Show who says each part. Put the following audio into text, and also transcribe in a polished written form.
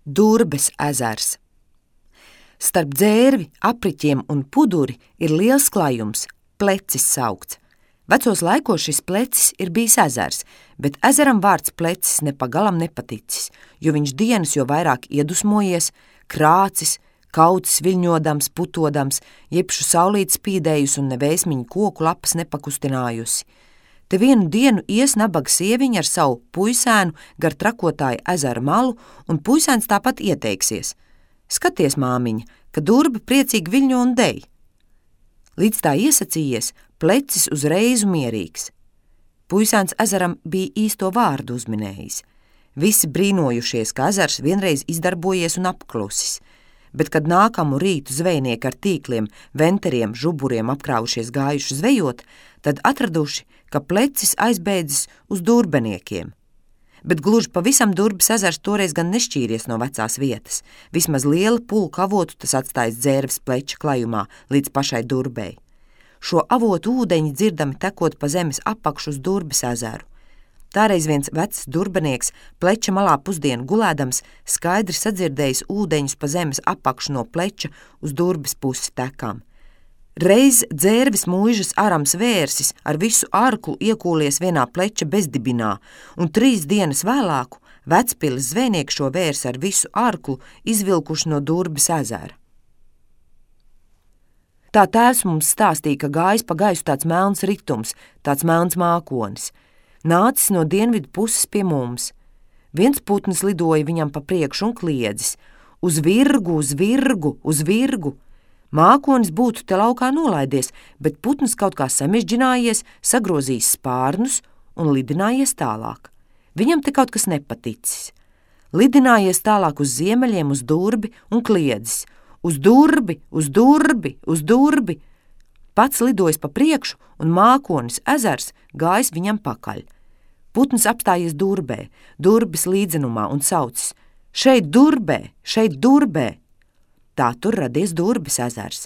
Speaker 1: Durbes ezers. Starp Dzērvi, Apriķiem un Puduri ir liels klājums, Plecis saukts. Vecos laikos šis Plecis ir bijis ezers, bet ezeram vārds Plecis nepagalam nepaticis, jo viņš dienas jo vairāk iedusmojies, krācis, kaucis viļņodams, putodams, jebšu saulīt spīdējus un nevēsmiņu koku lapas nepakustinājusi. Te vienu dienu ies nabaga sieviņa ar savu puisēnu gar trakotāju ezera malu, un puisēns tāpat ieteiksies. Skaties, māmiņa, ka durba priecīgi viļņo un dej. Līdz tā iesacījies, Plecis uzreiz mierīgs. Puisēns ezeram bija īsto vārdu uzminējis. Visi brīnojušies, ka ezers vienreiz izdarbojies un apklusis, bet kad nākamu rītu zvejnieki ar tīkliem, venteriem, žuburiem apkrāvušies gājuši zvejot, tad atraduši, ka Plecis aizbēdzis uz durbeniekiem. Bet gluži pavisam Durbes ezers toreiz gan nešķīries no vecās vietas. Vismaz liela pulka avotu tas atstājis Dzērves Pleča klajumā līdz pašai Durbei. Šo avotu ūdeņi dzirdami tekot pa zemes apakšu uz Durbes ezeru. Tāreiz viens vecs durbenieks Pleča malā pusdienu gulēdams skaidri sadzirdējis ūdeņus pa zemes apakšu no Pleča uz Durbes pusi tekām. Reiz Dzērves mūžas arams vērsis ar visu arklu iekūlies vienā Pleča bezdibinā, un 3 dienas vēlāku Vecpiles zvejnieki šo vērsi ar visu arklu izvilkuši no Durbes ezera. Tā tēvs mums stāstīja, ka gājis pa gaisu tāds melns ritums, tāds melns mākonis. Nācis no dienvidu puses pie mums. Viens putns lidoja viņam pa priekšu un kliedzis: uz virgu, uz virgu, uz virgu! Mākonis būtu te laukā nolaidies, bet putns kaut kā samežģinājies, sagrozījis spārnus un lidinājies tālāk. Viņam te kaut kas nepaticis. Lidinājies tālāk uz ziemeļiem, uz Durbi un kliedzis: uz Durbi, uz Durbi, uz Durbi! Pats lidojis pa priekšu un mākonis ezers gājis viņam pakaļ. Putns apstājies Durbē, Durbes līdzenumā un saucis: šeit Durbē, šeit Durbē! Tā tur radies Durbes ezers.